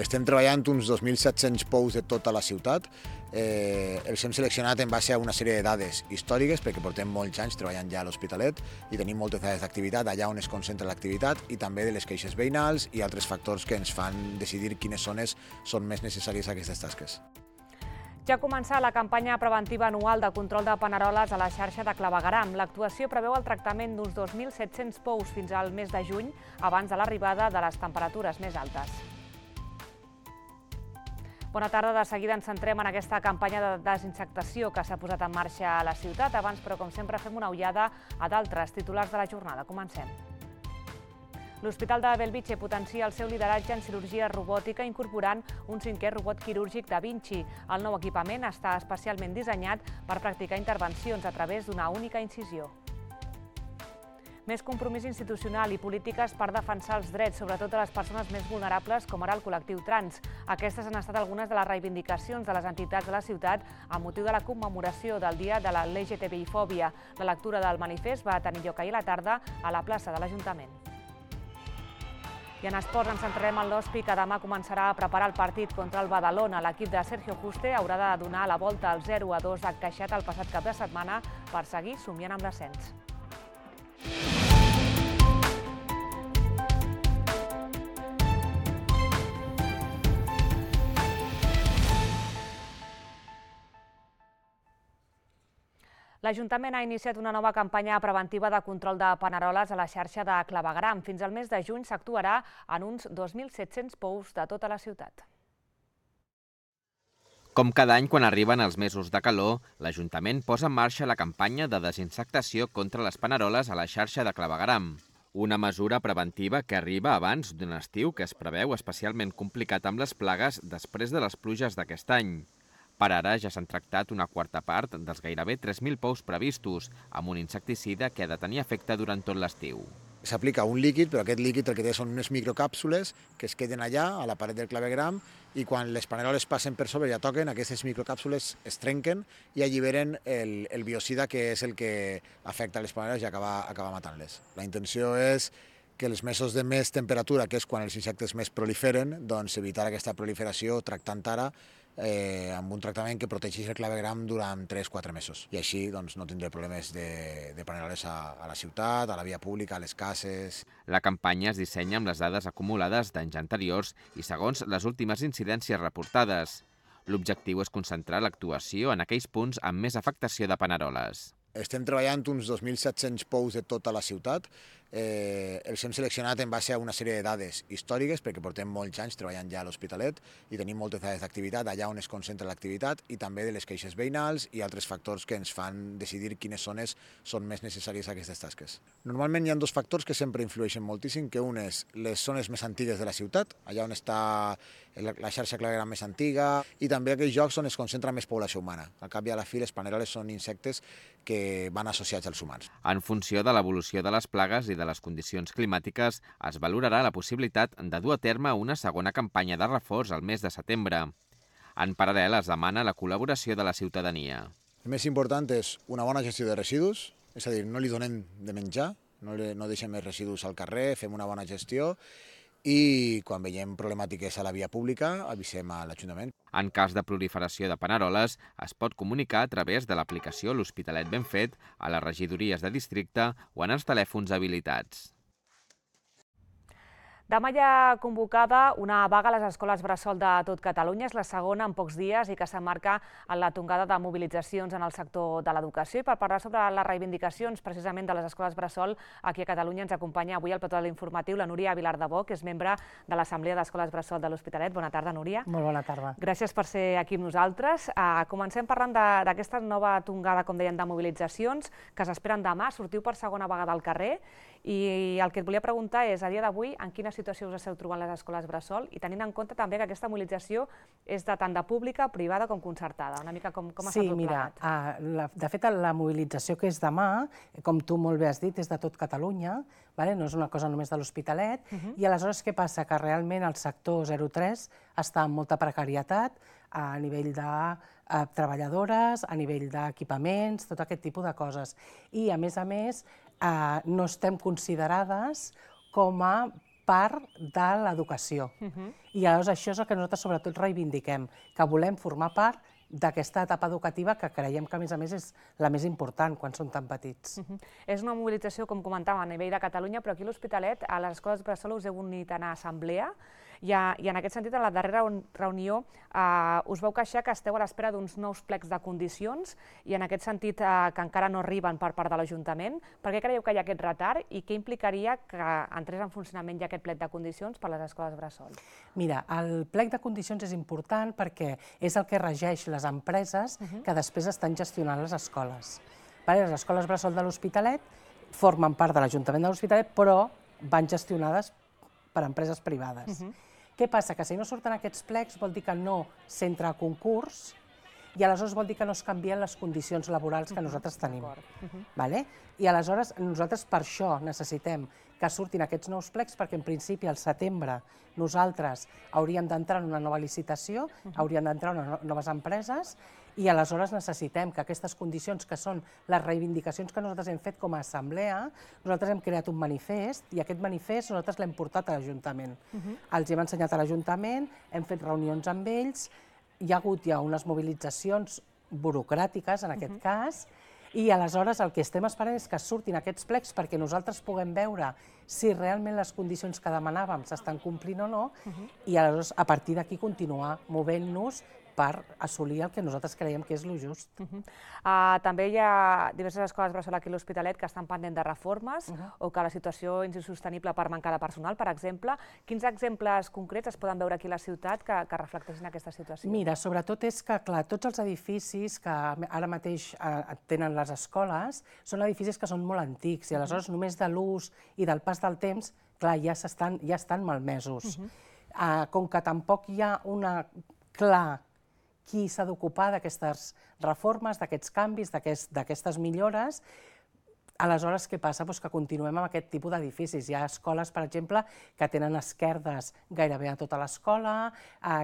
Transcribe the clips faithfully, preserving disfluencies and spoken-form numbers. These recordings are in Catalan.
Estem treballant uns dos mil set-cents pous de tota la ciutat. Eh, els hem seleccionat en base a una sèrie de dades històriques, perquè portem molts anys treballant ja a l'Hospitalet i tenim moltes dades d'activitat, allà on es concentra l'activitat, i també de les queixes veïnals i altres factors que ens fan decidir quines zones són més necessàries a aquestes tasques. Ja ha començat la campanya preventiva anual de control de paneroles a la xarxa de clavegueram. L'actuació preveu el tractament d'uns dos mil set-cents pous fins al mes de juny, abans de l'arribada de les temperatures més altes. Bona tarda, de seguida ens centrem en aquesta campanya de desinsectació que s'ha posat en marxa a la ciutat. Abans, però, com sempre, fem una ullada a d'altres titulars de la jornada. Comencem. L'Hospital de Bellvitge potencia el seu lideratge en cirurgia robòtica incorporant un cinquè robot quirúrgic Da Vinci. El nou equipament està especialment dissenyat per practicar intervencions a través d'una única incisió. Més compromís institucional i polítiques per defensar els drets, sobretot de les persones més vulnerables, com ara el col·lectiu trans. Aquestes han estat algunes de les reivindicacions de les entitats de la ciutat amb motiu de la commemoració del Dia de la L G T B I fòbia. La lectura del manifest va tenir lloc ahir a la tarda a la plaça de l'Ajuntament. I en esports ens centrarem en l'Hospi, que demà començarà a preparar el partit contra el Badalona. L'equip de Sergio Juste haurà de donar la volta al zero a dos encaixat el passat cap de setmana per seguir somiant amb l'ascens. L'Ajuntament ha iniciat una nova campanya preventiva de control de paneroles a la xarxa de clavegueram. Fins al mes de juny s'actuarà en uns dos mil set-cents pous de tota la ciutat. Com cada any, quan arriben els mesos de calor, l'Ajuntament posa en marxa la campanya de desinsectació contra les paneroles a la xarxa de clavegueram. Una mesura preventiva que arriba abans d'un estiu que es preveu especialment complicat amb les plagues després de les pluges d'aquest any. Per ara ja s'han tractat una quarta part dels gairebé tres mil pous previstos, amb un insecticida que ha de tenir efecte durant tot l'estiu. S'aplica un líquid, però aquest líquid el que té són unes microcàpsules que es queden allà, a la paret del clavegueram, i quan les paneroles passen per sobre i ja toquen, aquestes microcàpsules es trenquen i alliberen el, el biocida, que és el que afecta les paneroles i acaba, acaba matant-les. La intenció és que els mesos de més temperatura, que és quan els insectes més proliferen, doncs evitar aquesta proliferació tractant ara eh, amb un tractament que protegeix el clavegueram durant tres a quatre mesos. I així doncs, no tindré problemes de, de paneroles a, a la ciutat, a la via pública, a les cases. La campanya es dissenya amb les dades acumulades d'anys anteriors i segons les últimes incidències reportades. L'objectiu és concentrar l'actuació en aquells punts amb més afectació de paneroles. Estem treballant uns dos mil set-cents pous de tota la ciutat. Eh, els hem seleccionat en base a una sèrie de dades històriques, perquè portem molts anys treballant ja a l'Hospitalet i tenim moltes dades d'activitat, allà on es concentra l'activitat, i també de les queixes veïnals i altres factors que ens fan decidir quines zones són més necessàries a aquestes tasques. Normalment hi ha dos factors que sempre influeixen moltíssim, que un és les zones més antigues de la ciutat, allà on està la xarxa clavegueram més antiga, i també aquells llocs on es concentra més població humana. Al cap i a la fi, les paneroles són insectes que van associats als humans. En funció de l'evolució de les plagues i de les condicions climàtiques, es valorarà la possibilitat de dur a terme una segona campanya de reforç al mes de setembre. En paral·lel, es demana la col·laboració de la ciutadania. El més important és una bona gestió de residus, és a dir, no li donem de menjar, no, li, no deixem més residus al carrer, fem una bona gestió, i quan veiem problemàtiques a la via pública avisem a l'Ajuntament. En cas de proliferació de paneroles, es pot comunicar a través de l'aplicació L'Hospitalet Ben Fet a les regidories de districte o en els telèfons habilitats. Demà hi ha convocada una vaga a les escoles bressol de tot Catalunya. És la segona en pocs dies i que s'emmarca en la tongada de mobilitzacions en el sector de l'educació. I per parlar sobre les reivindicacions precisament de les escoles bressol, aquí a Catalunya ens acompanya avui al plató de l'informatiu la Núria Vilardebó, que és membre de l'Assemblea d'Escoles Bressol de l'Hospitalet. Bona tarda, Núria. Molt bona tarda. Gràcies per ser aquí amb nosaltres. Comencem parlant d'aquesta nova tongada, com deien, de mobilitzacions que s'esperen demà. Sortiu per segona vegada al carrer i el que et volia preguntar és, a dia d'avui, en quina situació us esteu trobant les escoles bressol i tenint en compte també que aquesta mobilització és de tant de pública, privada com concertada. Una mica com, com està tot plegat? Sí, mira, de fet la mobilització que és demà, com tu molt bé has dit, és de tot Catalunya, no és una cosa només de l'Hospitalet, i aleshores què passa? Que realment el sector zero tres està en molta precarietat a nivell de treballadores, a nivell d'equipaments, tot aquest tipus de coses. I, a més a més, no estem considerades com a part de l'educació. I llavors això és el que nosaltres sobretot reivindiquem, que volem formar part d'aquesta etapa educativa que creiem que, a més a més, és la més important quan són tan petits. És una mobilització, com comentàvem, a nivell de Catalunya, però aquí a l'Hospitalet, a les escoles bressol us heu unit a anar a assemblea i en aquest sentit, a la darrera reunió, us vau queixar que esteu a l'espera d'uns nous plecs de condicions i en aquest sentit que encara no arriben per part de l'Ajuntament. Per què creieu que hi ha aquest retard i què implicaria que entrés en funcionament ja aquest plec de condicions per a les escoles bressol? Mira, el plec de condicions és important perquè és el que regeix les empreses que després estan gestionant les escoles. Les escoles bressol de l'Hospitalet formen part de l'Ajuntament de l'Hospitalet, però van gestionades per empreses privades. Què passa? Que si no surten aquests plecs vol dir que no s'entra a concurs i aleshores vol dir que no es canvien les condicions laborals que nosaltres tenim. I aleshores nosaltres per això necessitem que surtin aquests nous plecs perquè en principi al setembre nosaltres hauríem d'entrar en una nova licitació, hauríem d'entrar en noves empreses i aleshores necessitem que aquestes condicions que són les reivindicacions que nosaltres hem fet com a assemblea, nosaltres hem creat un manifest i aquest manifest nosaltres l'hem portat a l'Ajuntament. Els hem ensenyat a l'Ajuntament, hem fet reunions amb ells, hi ha hagut ja unes mobilitzacions burocràtiques en aquest cas i aleshores el que estem esperant és que surtin aquests plecs perquè nosaltres puguem veure si realment les condicions que demanàvem s'estan complint o no i aleshores a partir d'aquí continuar movent-nos per assolir el que nosaltres creiem que és el just. També hi ha diverses escoles bressol aquí a l'Hospitalet que estan pendents de reformes o que la situació és insostenible per mancar de personal, per exemple. Quins exemples concrets es poden veure aquí a la ciutat que reflecteixin aquesta situació? Mira, sobretot és que, clar, tots els edificis que ara mateix tenen les escoles són edificis que són molt antics i aleshores només de l'ús i del pas del temps, clar, ja estan malmesos. Com que tampoc hi ha una clar qui s'ha d'ocupar d'aquestes reformes, d'aquests canvis, d'aquestes millores, aleshores què passa? Que continuem amb aquest tipus d'edificis. Hi ha escoles, per exemple, que tenen esquerdes gairebé a tota l'escola,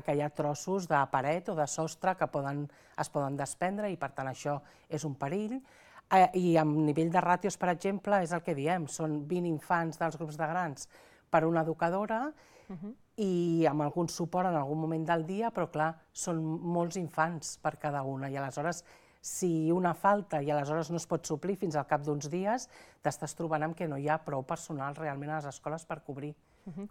que hi ha trossos de paret o de sostre que es poden desprendre i per tant això és un perill. I a nivell de ràtios, per exemple, és el que diem, són vint infants dels grups de grans per una educadora i amb algun suport en algun moment del dia, però clar, són molts infants per cada una i aleshores si una falta i aleshores no es pot suplir fins al cap d'uns dies, t'estàs trobant amb que no hi ha prou personal realment a les escoles per cobrir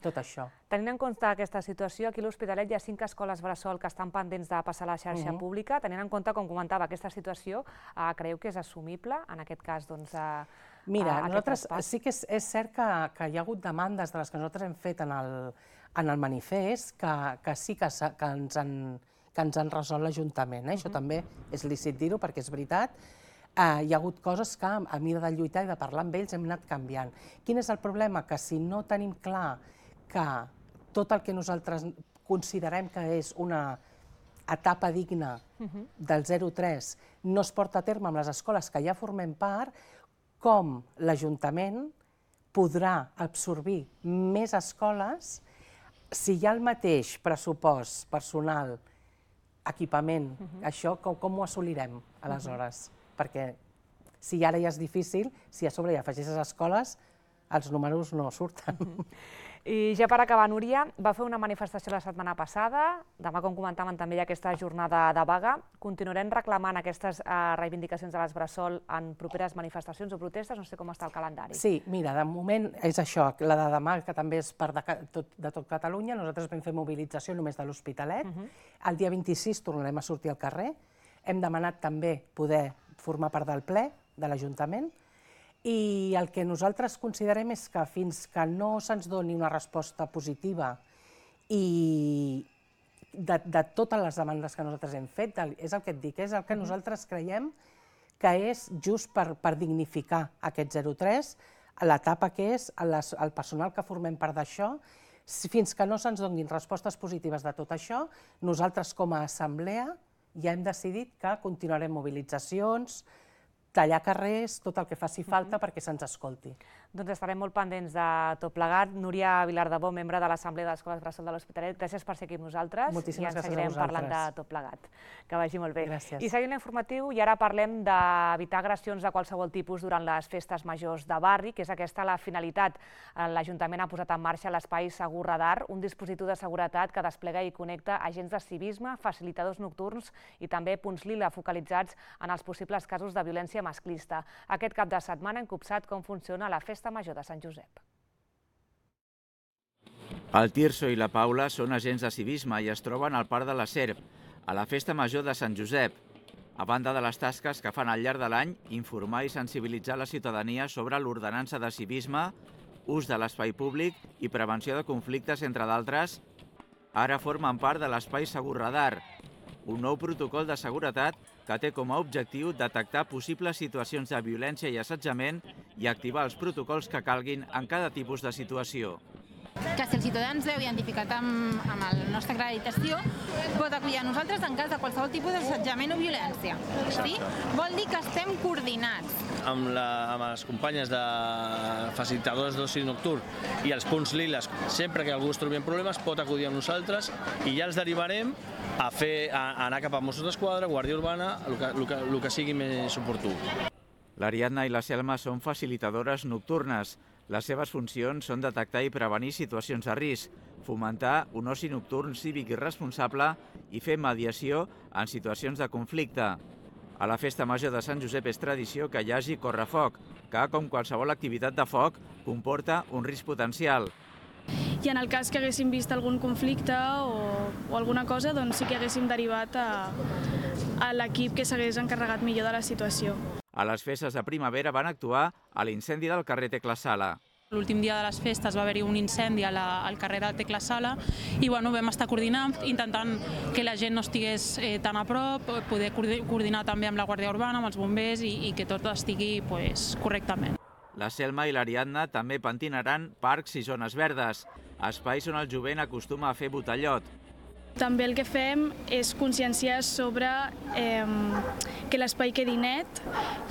tot això. Tenint en compte aquesta situació, aquí a l'Hospitalet hi ha cinc escoles bressol que estan pendents de passar a la xarxa pública. Tenint en compte, com comentava, aquesta situació, creieu que és assumible, en aquest cas, doncs, Mira, nosaltres sí que és cert que hi ha hagut demandes de les que nosaltres hem fet en el manifest que sí que ens han resolt l'Ajuntament. Això també és lícit dir-ho perquè és veritat. Hi ha hagut coses que a mida de lluitar i de parlar amb ells hem anat canviant. Quin és el problema? Que si no tenim clar que tot el que nosaltres considerem que és una etapa digna del zero tres no es porta a terme amb les escoles que ja formem part, com l'Ajuntament podrà absorbir més escoles si hi ha el mateix pressupost personal, equipament, això com ho assolirem aleshores? Perquè si ara ja és difícil, si a sobre hi afegeixes escoles, els números no surten. I ja per acabar, Núria, va fer una manifestació la setmana passada, demà, com comentàvem, també hi ha aquesta jornada de vaga. Continuarem reclamant aquestes reivindicacions de les bressol en properes manifestacions o protestes? No sé com està el calendari. Sí, mira, de moment és això, la de demà, que també és per de tot Catalunya, nosaltres vam fer mobilització només de l'Hospitalet. El dia vint-i-sis tornarem a sortir al carrer. Hem demanat també poder formar part del ple de l'Ajuntament i el que nosaltres considerem és que fins que no se'ns doni una resposta positiva i de totes les demandes que nosaltres hem fet, és el que et dic, és el que nosaltres creiem que és just per dignificar aquest zero tres, l'etapa que és, el personal que formem part d'això, fins que no se'ns donin respostes positives de tot això, nosaltres com a assemblea ja hem decidit que continuarem mobilitzacions, tallar carrers, tot el que faci falta perquè se'ns escolti. Doncs estarem molt pendents de tot plegat. Núria Vilardebó, membre de l'Assemblea d'Escoles Bressol de l'Hospitalet, gràcies per ser aquí amb nosaltres. Moltíssimes gràcies a vosaltres. I ens seguirem parlant de tot plegat. Que vagi molt bé. Gràcies. I seguint l'informatiu, i ara parlem d'evitar agressions de qualsevol tipus durant les festes majors de barri, que és aquesta la finalitat. L'Ajuntament ha posat en marxa l'espai Segur Radar, un dispositiu de seguretat que desplega i connecta agents de civisme, facilitadors nocturns i també punts lila focalitzats en els possibles casos de violència masclista. Aquest cap de setmana hem copsat com funciona la Festa Major de Sant Josep. El Tirso i la Paula són agents de civisme i es troben al Parc de la Serp, a la Festa Major de Sant Josep. A banda de les tasques que fan al llarg de l'any, informar i sensibilitzar la ciutadania sobre l'ordenança de civisme, ús de l'espai públic i prevenció de conflictes, entre d'altres, ara formen part de l'espai Segur Radar, un nou protocol de seguretat que té com a objectiu detectar possibles situacions de violència i assetjament i activar els protocols que calguin en cada tipus de situació. Que si el ciutadà ens veu identificat amb, amb la nostra acreditació, pot acudir a nosaltres en cas de qualsevol tipus d'assetjament o violència. Sí? Vol dir que estem coordinats. Amb, la, amb les companyes de facilitadors d'oci nocturn i els punts liles, sempre que algú es trobi en problemes pot acudir a nosaltres i ja els derivarem a, fer, a, a anar cap a Mossos d'Esquadra, Guàrdia Urbana, el que, el, que, el que sigui més oportú. L'Ariadna i la Selma són facilitadores nocturnes. Les seves funcions són detectar i prevenir situacions de risc, fomentar un oci nocturn cívic i responsable i fer mediació en situacions de conflicte. A la Festa Major de Sant Josep és tradició que hi hagi correfoc, que, com qualsevol activitat de foc, comporta un risc potencial. I en el cas que haguéssim vist algun conflicte o, o alguna cosa, doncs sí que haguéssim derivat a, a l'equip que s'hagués encarregat millor de la situació. A les festes de primavera van actuar a l'incendi del carrer Tecla Sala. L'últim dia de les festes va haver-hi un incendi a la, al carrer de Tecla Sala i bueno, vam estar coordinant, intentant que la gent no estigués eh, tan a prop, poder coordinar també amb la Guàrdia Urbana, amb els bombers i, i que tot estigui pues, correctament. La Selma i l'Ariadna també pentinaran parcs i zones verdes, espais on el jovent acostuma a fer botellot. També el que fem és conscienciar sobre eh, que l'espai quedi net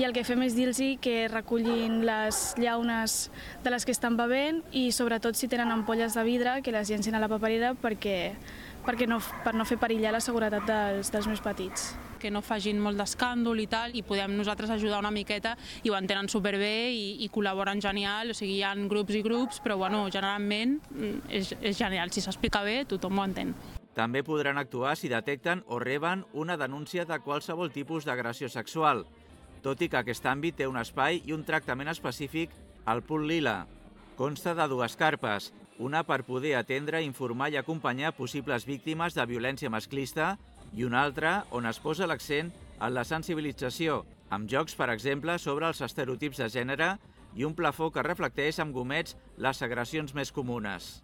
i el que fem és dir-los que recullin les llaunes de les que estan bevent i sobretot si tenen ampolles de vidre que les llencin a la paperera perquè, perquè no, per no fer perillar la seguretat dels, dels més petits. Que no facin molt d'escàndol i tal, i podem nosaltres ajudar una miqueta i ho entenen superbé i, i col·laboren genial, o sigui, hi ha grups i grups, però bueno, generalment és, és genial, si s'explica bé tothom ho entén. També podran actuar si detecten o reben una denúncia de qualsevol tipus d'agressió sexual, tot i que aquest àmbit té un espai i un tractament específic al Punt Lila. Consta de dues carpes, una per poder atendre, informar i acompanyar possibles víctimes de violència masclista i una altra on es posa l'accent en la sensibilització, amb jocs, per exemple, sobre els estereotips de gènere i un plafó que reflecteix amb gomets les agressions més comunes.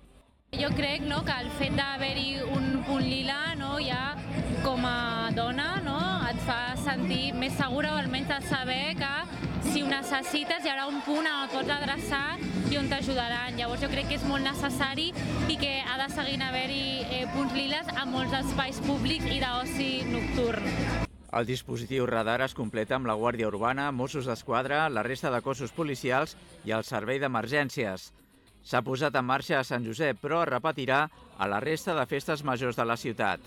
Jo crec no, que el fet d'haver-hi un punt lila no, ja com a dona no, et fa sentir més segura o almenys de saber que si ho necessites hi haurà un punt on et pots adreçar i on t'ajudaran. Llavors jo crec que és molt necessari i que ha de seguir haver-hi eh, punts liles a molts espais públics i d'oci nocturn. El dispositiu radar es completa amb la Guàrdia Urbana, Mossos d'Esquadra, la resta de cossos policials i el servei d'emergències. S'ha posat en marxa a Sant Josep, però es repetirà a la resta de festes majors de la ciutat.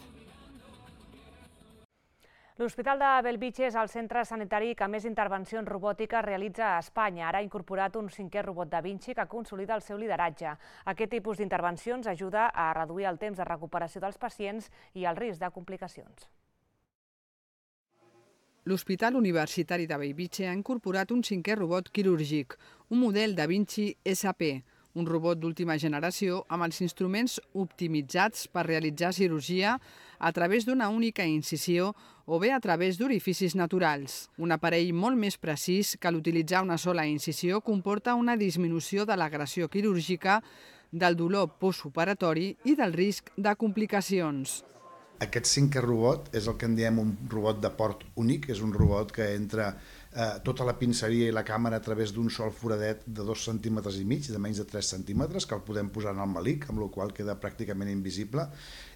L'Hospital de Bellvitge és el centre sanitari que més intervencions robòtiques realitza a Espanya. Ara ha incorporat un cinquè robot Da Vinci que consolida el seu lideratge. Aquest tipus d'intervencions ajuda a reduir el temps de recuperació dels pacients i el risc de complicacions. L'Hospital Universitari de Bellvitge ha incorporat un cinquè robot quirúrgic, un model Da Vinci S P, un robot d'última generació amb els instruments optimitzats per realitzar cirurgia a través d'una única incisió o bé a través d'orificis naturals. Un aparell molt més precís que l'utilitzar una sola incisió comporta una disminució de l'agressió quirúrgica, del dolor postoperatori i del risc de complicacions. Aquest cinquè robot és el que en diem un robot de port únic, és un robot que entra eh, tota la pinceria i la càmera a través d'un sol foradet de dos centímetres i mig, de menys de tres centímetres, que el podem posar en el malic, amb la qual queda pràcticament invisible,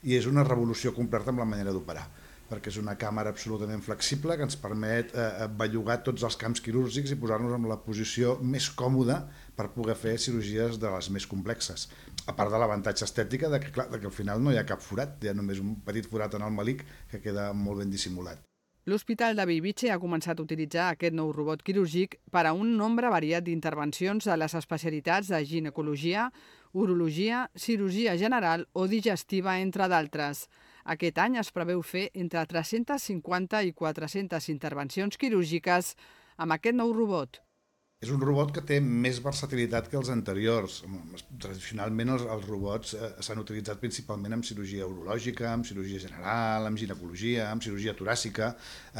i és una revolució completa amb la manera d'operar. perquè és una càmera absolutament flexible que ens permet eh, bellugar tots els camps quirúrgics i posar-nos en la posició més còmoda per poder fer cirurgies de les més complexes. A part de l'avantatge estètica de que, clar, de que al final no hi ha cap forat, hi ha només un petit forat en el melic que queda molt ben dissimulat. L'Hospital de Bellvitge ha començat a utilitzar aquest nou robot quirúrgic per a un nombre variat d'intervencions a les especialitats de ginecologia, urologia, cirurgia general o digestiva, entre d'altres. Aquest any es preveu fer entre tres-centes cinquanta i quatre-centes intervencions quirúrgiques amb aquest nou robot. És un robot que té més versatilitat que els anteriors. Tradicionalment els, els robots eh, s'han utilitzat principalment en cirurgia urològica, en cirurgia general, en ginecologia, en cirurgia toràcica.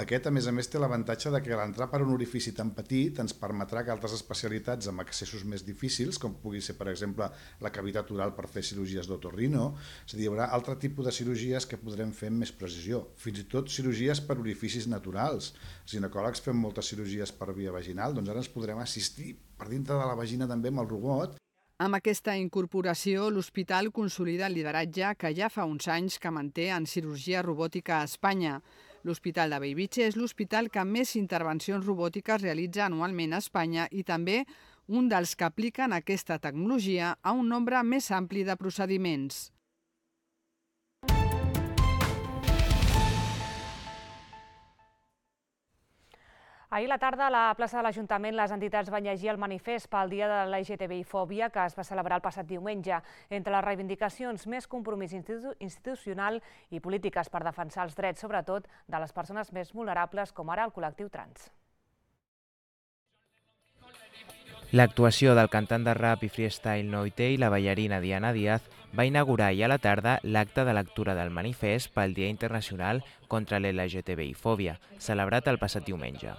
Aquest, a més a més, té l'avantatge de que l'entrar per un orifici tan petit ens permetrà que altres especialitats amb accessos més difícils, com pugui ser, per exemple, la cavitat oral per fer cirurgies d'otorrino, és a dir, hi haurà altre tipus de cirurgies que podrem fer amb més precisió. Fins i tot cirurgies per orificis naturals. Els ginecòlegs fem moltes cirurgies per via vaginal, doncs ara ens podrem assistir per dintre de la vagina també amb el robot. Amb aquesta incorporació, l'hospital consolida el lideratge que ja fa uns anys que manté en cirurgia robòtica a Espanya. L'Hospital de Bellvitge és l'hospital que més intervencions robòtiques realitza anualment a Espanya i també un dels que apliquen aquesta tecnologia a un nombre més ampli de procediments. Ahir a la tarda, a la plaça de l'Ajuntament, les entitats van llegir el manifest pel Dia de la L G T B I fòbia que es va celebrar el passat diumenge. Entre les reivindicacions, més compromís institu institucional i polítiques per defensar els drets, sobretot de les persones més vulnerables, com ara el col·lectiu trans. L'actuació del cantant de rap i freestyle Noitei, la ballarina Diana Díaz, va inaugurar ahir a la tarda l'acte de lectura del manifest pel Dia Internacional contra l'L G T B I fòbia, celebrat el passat diumenge.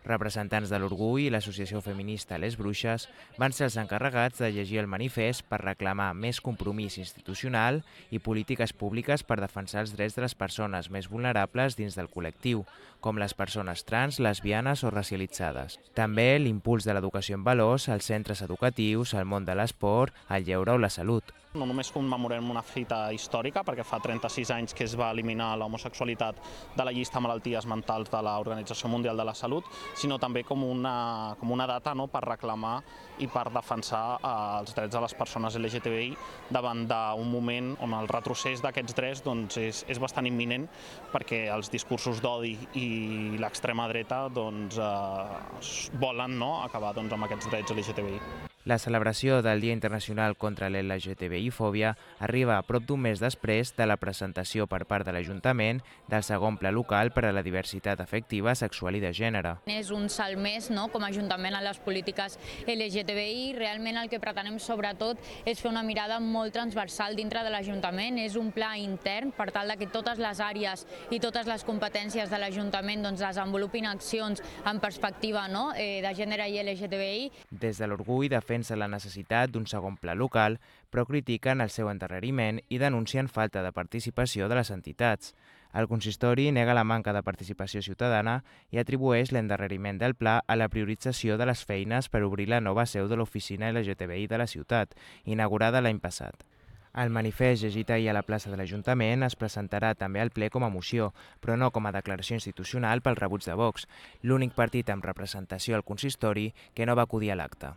Representants de l'Orgull i l'associació feminista Les Bruixes van ser els encarregats de llegir el manifest per reclamar més compromís institucional i polítiques públiques per defensar els drets de les persones més vulnerables dins del col·lectiu, com les persones trans, lesbianes o racialitzades. També l'impuls de l'educació en valors als centres educatius, al món de l'esport, el lleure o la salut. No només commemorem una fita històrica, perquè fa trenta-sis anys que es va eliminar l'homosexualitat de la llista de malalties mentals de l'Organització Mundial de la Salut, sinó també com una, com una data no, per reclamar i per defensar eh, els drets de les persones L G T B I davant d'un moment on el retrocés d'aquests drets doncs, és, és bastant imminent, perquè els discursos d'odi i l'extrema dreta doncs, eh, volen no, acabar doncs, amb aquests drets L G T B I. La celebració del Dia Internacional contra l'L G T B I fòbia arriba a prop d'un mes després de la presentació per part de l'Ajuntament del segon pla local per a la diversitat afectiva, sexual i de gènere. És un salt més no, com a Ajuntament en les polítiques L G T B I. Realment el que pretenem sobretot és fer una mirada molt transversal dintre de l'Ajuntament. És un pla intern per tal que totes les àrees i totes les competències de l'Ajuntament doncs, desenvolupin accions en perspectiva no, de gènere i L G T B I. Des de l'Orgull defensa la necessitat d'un segon pla local, però critiquen el seu endarreriment i denuncien falta de participació de les entitats. El consistori nega la manca de participació ciutadana i atribueix l'endarreriment del pla a la priorització de les feines per obrir la nova seu de l'oficina L G T B I de la ciutat, inaugurada l'any passat. El manifest llegit ahir a la plaça de l'Ajuntament es presentarà també al ple com a moció, però no com a declaració institucional pel rebuig de Vox, l'únic partit amb representació al consistori que no va acudir a l'acte.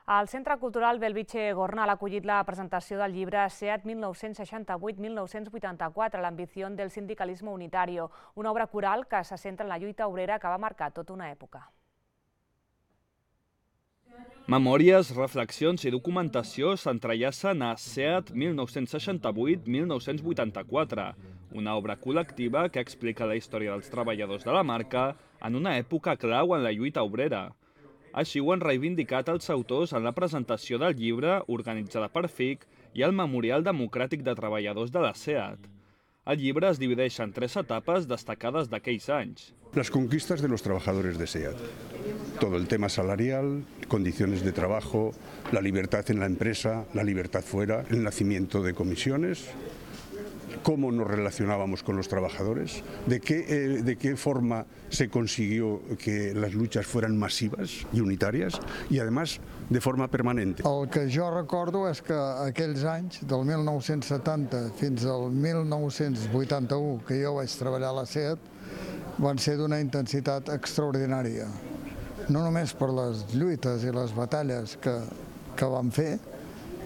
El Centre Cultural Bellvitge Gornal ha acollit la presentació del llibre SEAT mil nou-cents seixanta-vuit mil nou-cents vuitanta-quatre, l'ambició del sindicalisme unitario, una obra coral que se centra en la lluita obrera que va marcar tota una època. Memòries, reflexions i documentació s'entrellacen a SEAT mil nou-cents seixanta-vuit mil nou-cents vuitanta-quatre, una obra col·lectiva que explica la història dels treballadors de la marca en una època clau en la lluita obrera. Així ho han reivindicat els autors en la presentació del llibre organitzada per F I C i el Memorial Democràtic de Treballadors de la SEAT. El llibre es divideix en tres etapes destacades d'aquells anys. Las conquistas de los trabajadores de SEAT. Todo el tema salarial, condiciones de trabajo, la libertad en la empresa, la libertad fuera, el nacimiento de comisiones, cómo nos relacionábamos con los trabajadores, de qué, eh, de qué forma se consiguió que las luchas fueran masivas y unitarias y además de forma permanente. El que jo recordo és que aquells anys, del mil nou-cents setanta fins al mil nou-cents vuitanta-u, que jo vaig treballar a la SEAT, van ser d'una intensitat extraordinària. No només per les lluites i les batalles que, que vam fer,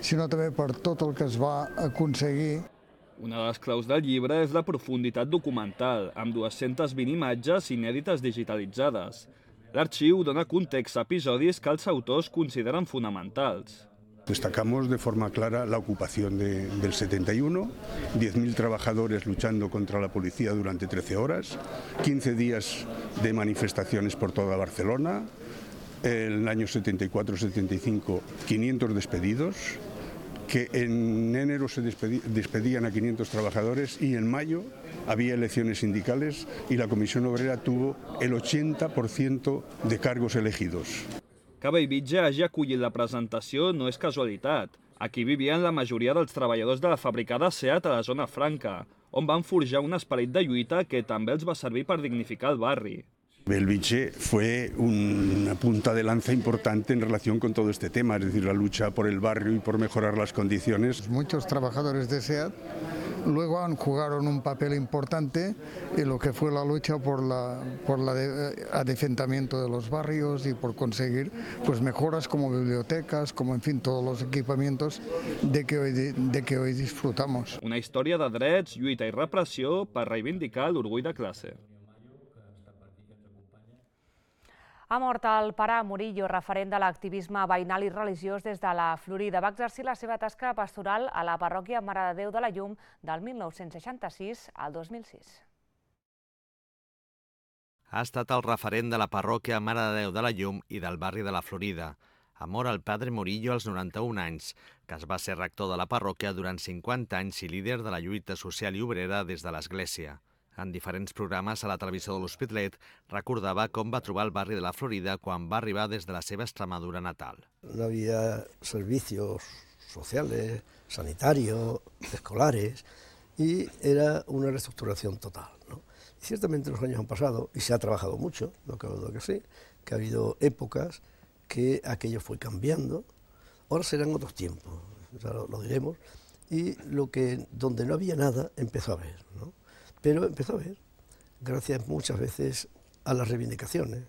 sinó també per tot el que es va aconseguir. Una de les claus del llibre és la profunditat documental, amb dues-centes vint imatges inèdites digitalitzades. L'arxiu dona context a episodis que els autors consideren fonamentals. Destacamos de forma clara la ocupación de, del setenta y uno, diez mil trabajadores luchando contra la policía durante trece horas, quince días de manifestaciones por toda Barcelona, el año setenta y cuatro setenta y cinco, quinientos despedidos, que en enero se despedían a quinientos trabajadores y en mayo había elecciones sindicales y la Comisión Obrera tuvo el ochenta por ciento de cargos elegidos. Que Bellvitge hagi acollit la presentació no és casualitat. Aquí vivien la majoria dels treballadors de la fabricada SEAT a la zona franca, on van forjar un esperit de lluita que també els va servir per dignificar el barri. Bellvitge fue una punta de lanza importante en relación con todo este tema, es decir, la lucha por el barrio y por mejorar las condiciones. Muchos trabajadores de SEAT luego han jugaron un papel importante en lo que fue la lucha por la por la de, adefentamiento de los barrios y por conseguir pues mejoras como bibliotecas, como en fin todos los equipamientos de que hoy de, de que hoy disfrutamos. Una història de drets, lluita i repressió per reivindicar l'orgull de classe. Ha mort el pare Murillo, referent de l'activisme veïnal i religiós des de la Florida. Va exercir la seva tasca pastoral a la parròquia Mare de Déu de la Llum del mil nou-cents seixanta-sis al dos mil sis. Ha estat el referent de la parròquia Mare de Déu de la Llum i del barri de la Florida. Ha mort el padre Murillo als noranta-un anys, que es va ser rector de la parròquia durant cinquanta anys i líder de la lluita social i obrera des de l'Església. En diferents programes a la televisió de l'Hospitalet, recordava com va trobar el barri de la Florida quan va arribar des de la seva Extremadura natal. No había servicios sociales, sanitarios, escolares, y era una reestructuración total, ¿no? Y ciertamente los años han pasado y se ha trabajado mucho, no cabe duda que sí, que ha habido épocas que aquello fue cambiando. Ahora serán otros tiempos, ya lo, lo diremos, y lo que donde no había nada empezó a haber, ¿no? Pero empezó a ver, gracias muchas veces a las reivindicaciones.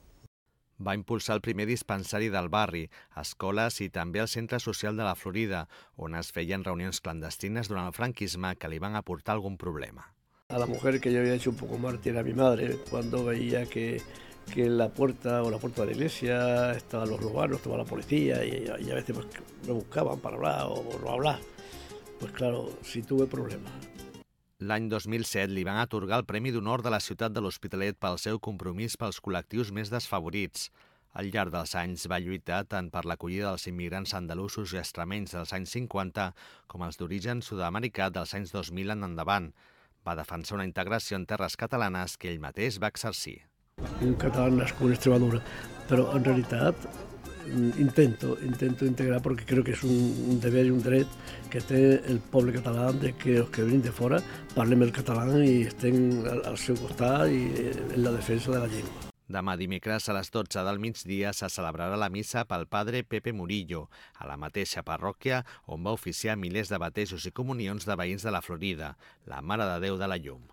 Va impulsar el primer dispensari del barri, escoles i també el Centre Social de la Florida, on es feien reunions clandestines durant el franquisme que li van aportar algun problema. A la mujer que yo había hecho un poco mártir a mi madre, cuando veía que, que en la puerta o la puerta de la iglesia estaban los urbanos, estaba la policía y, y a veces pues, me buscaban para hablar o no hablar. Pues claro, sí tuve problemas. L'any dos mil set li van atorgar el Premi d'Honor de la ciutat de l'Hospitalet pel seu compromís pels col·lectius més desfavorits. Al llarg dels anys va lluitar tant per l'acollida dels immigrants andalusos i extremenys dels anys cinquanta com els d'origen sud-americà dels anys dos mil en endavant. Va defensar una integració en terres catalanes que ell mateix va exercir. Un català nascut en Extremadura, però en realitat intento, intento integrar porque creo que es un, un deber y un dret que té el poble català de que els que venen de fora parlem el català i estén al, al seu costat i en la defensa de la llengua. Demà dimecres a les dotze del migdia se celebrarà la missa pel padre Pepe Murillo, a la mateixa parròquia on va oficiar milers de batejos i comunions de veïns de la Florida, la Mare de Déu de la Llum.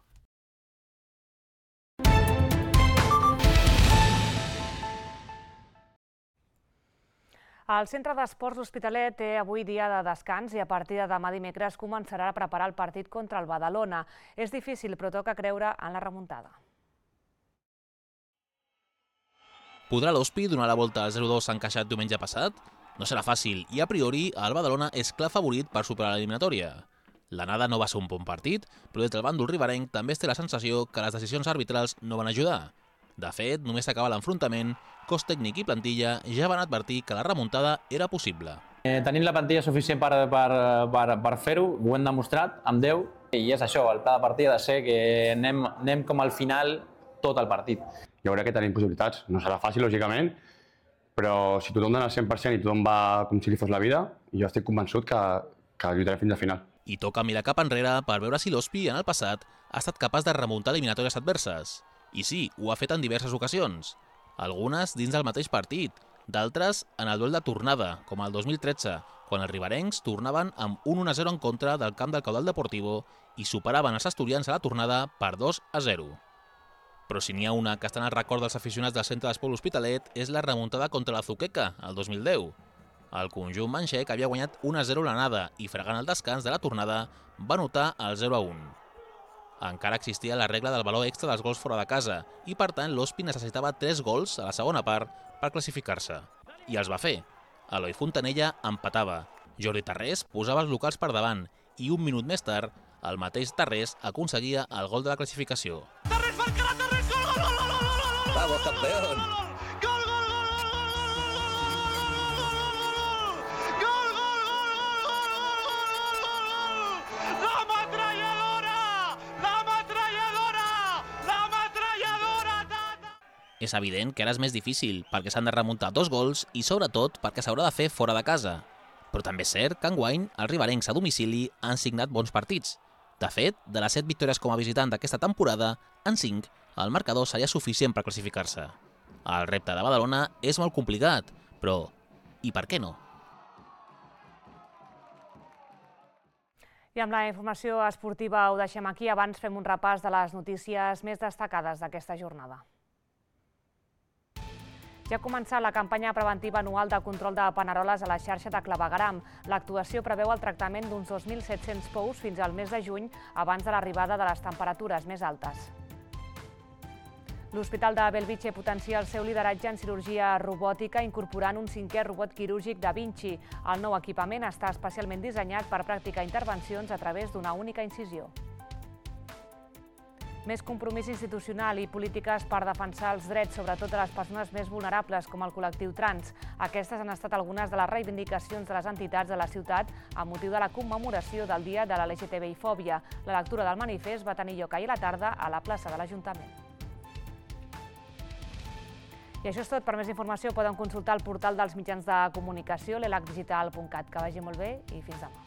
El Centre d'Esports L'Hospitalet té avui dia de descans i a partir de demà dimecres començarà a preparar el partit contra el Badalona. És difícil, però toca creure en la remuntada. Podrà l'Hospi donar la volta al zero dos encaixat diumenge passat? No serà fàcil i a priori el Badalona és clar favorit per superar l'eliminatòria. L'anada no va ser un bon partit, però des del bàndol riberenc també es té la sensació que les decisions arbitrals no van ajudar. De fet, només s'acaba l'enfrontament, cos tècnic i plantilla ja van advertir que la remuntada era possible. Eh, tenim la plantilla suficient per, per, per, per fer-ho, ho hem demostrat amb Déu, i és això, el pla de partit ha de ser que anem, anem com al final tot el partit. Jo crec que tenim possibilitats, no serà fàcil, lògicament, però si tothom dona el cent per cent i tothom va com si li fos la vida, jo estic convençut que, que lluitarem fins al final. I toca mirar cap enrere per veure si l'Hospi en el passat ha estat capaç de remuntar eliminatòries adverses. I sí, ho ha fet en diverses ocasions. Algunes dins del mateix partit, d'altres en el duel de tornada, com el dos mil tretze, quan els riberencs tornaven amb un un a zero en contra del camp del Caudal Deportivo i superaven els asturians a la tornada per dos a zero. Però si n'hi ha una que està en el record dels aficionats del centre d'Esport L'Hospitalet és la remuntada contra la Zuqueca, el dos mil deu. El conjunt manxec havia guanyat un a zero l'anada i, fregant el descans de la tornada, va anotar el zero a un. Encara existia la regla del valor extra dels gols fora de casa i, per tant, l'Hospi necessitava tres gols a la segona part per classificar-se. I els va fer. Eloi Fontanella empatava, Jordi Tarrés posava els locals per davant i un minut més tard el mateix Tarrés aconseguia el gol de la classificació. ¡Tarrés marcará, Tarrés! ¡Gol, gol, gol, gol, gol! ¡Vamos, campeón! ¡Gol, gol, gol, gol, gol, gol, gol, gol! ¡La ametralladora! ¡La ametralladora! ¡La ametralladora! És evident que ara és més difícil perquè s'han de remuntar dos gols i, sobretot, perquè s'haurà de fer fora de casa. Però també és cert que enguany els riberencs a domicili han signat bons partits. De fet, de les set victòries com a visitant d'aquesta temporada, en cinc, el marcador seria suficient per classificar-se. El repte de Badalona és molt complicat, però i per què no? I amb la informació esportiva ho deixem aquí. Abans fem un repàs de les notícies més destacades d'aquesta jornada. Ja ha començat la campanya preventiva anual de control de paneroles a la xarxa de clavegueram. L'actuació preveu el tractament d'uns dos mil set-cents pous fins al mes de juny, abans de l'arribada de les temperatures més altes. L'Hospital de Bellvitge potencia el seu lideratge en cirurgia robòtica incorporant un cinquè robot quirúrgic Da Vinci. El nou equipament està especialment dissenyat per practicar intervencions a través d'una única incisió. Més compromís institucional i polítiques per defensar els drets, sobretot de les persones més vulnerables, com el col·lectiu trans. Aquestes han estat algunes de les reivindicacions de les entitats de la ciutat amb motiu de la commemoració del Dia de la L G T B I fòbia. La lectura del manifest va tenir lloc ahir a la tarda a la plaça de l'Ajuntament. I això és tot. Per més informació poden consultar el portal dels mitjans de comunicació, l'elac digital punt cat. Que vagi molt bé i fins demà.